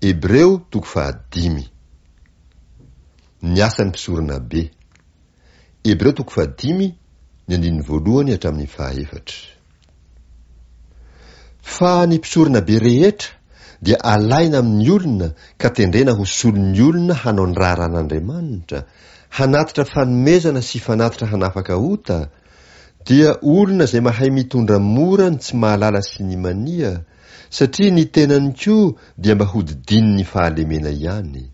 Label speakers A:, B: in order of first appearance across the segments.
A: Hebreo toko fahadimy. Ny asan'ny mpisoronabe. Hebreo toko fahadimy, ny andininy voalohany hatramin'ny fahaefatra. Fa ny mpisoronabe rehetra dia alaina amin'ny olona ka tendrena ho solon'ny olona hanao ny raharahan'Andriamanitra, hanatitra fanomezana sy fanatitra hanafaka ota, dia olona izay mahay mitondra mora ny tsy mahalala sy ny mania, satria ny tenany koa dia mba hodidinin'ny fahalemena ihany.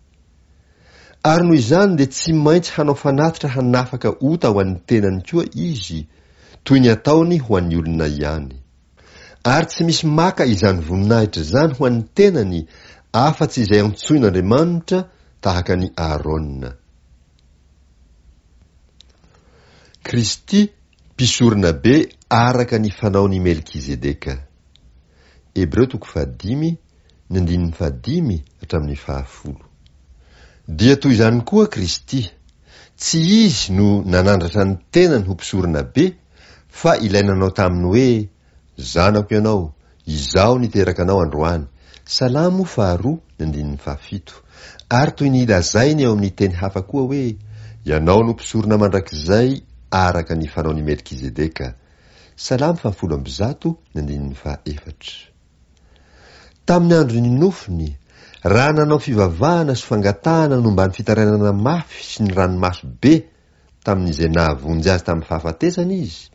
A: Ary noho izany dia tsy maintsy hanao fanatitra hanafaka ota ho an'ny tenany koa izy, toy ny ataony ho an'ny olona ihany. Ary tsy misy maka izany voninahitra izany ho an'ny tenany afa-tsy izay antsoin'Andriamanitra tahaka an'i Aharôna. Kristy, mpisoronabe araka ny fanaon'i Melkizedeka. Hebreo toko fahadimy, ny andininy fahadimy hatramin'ny fahafolo. Dia toy izany koa Kristy, tsy Izy no nanandratra ny tenany ho mpisoronabe, fa ilay nanao taminy hoe, Zanako ianao, Izaho niteraka anao androany, Salamo faharoa ny andininy fahafito, ary toy ny lazainy ao amin'ny teny hafa koa hoe, Ianao no mpisorona mandrakizay araka ny fanaon'i Melkizedeka, Salamo fahafolo ambizato ny andininy fahaefatra. Tamin'ny andron'ny nofiny, raha nanao fivavahana sy fangatahana nomban'ny fitarainana mafy sy ny ranomaso be tamin'izay nahavonjy azy tamin'ny fahafatesana izy,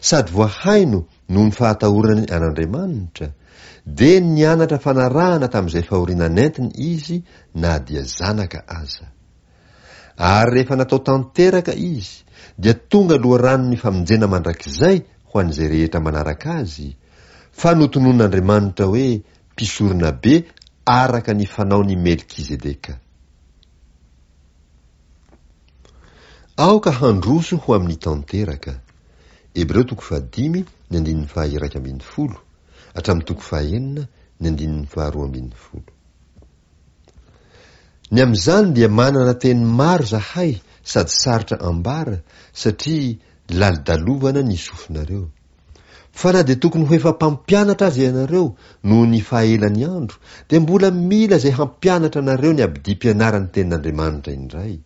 A: sady voahaino noho ny fahatahorany an'Andriamanitra, dia nianatra fanarahana tamin'izay fahoriana nentiny izy na dia zanaka aza. Ary rehefa natao tanteraka izy, dia tonga loharanon'ny famonjena mandrakizay ho an'izay rehetra manaraka azy, fa notononin'Andriamanitra hoe mpisoronabe araka ny fanaon'i Melkizedeka. Aoka handroso ho amin'ny tanteraka. Hebreo toko fahadimy ny andininy faha-iraika ambin'ny folo hatramin'ny toko fahaenina ny andininy faharoa ambin'ny folo. Ny amin'izany dia manana teny maro zahay sady sarotra ambara satria lalidalovana ny sofinareo. Fa na dia tokony ho efa mpampianatra aza ianareo noho ny fahaelan'ny andro, dia mbola mila izay hampianatra anareo ny abidim-pianaran'ny Tenin'Andriamanitra indray.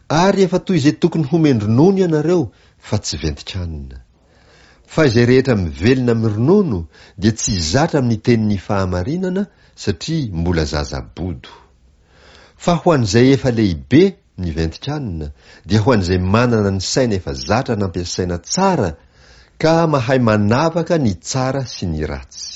A: Ary efa toy izay tokony homen-dronono ianareo fa tsy ventin-kanina. Fa izay rehetra mivelona amin'ny ronono dia tsy zatra amin'ny tenin'ny fahamarinana satria mbola zaza bodo. Fa ho an'izay efa lehibe ny ventin-kanina dia ho an'izay manana ny saina efa zatra nampiasaina tsara ka mahay manavaka ny tsara sy ny ratsy.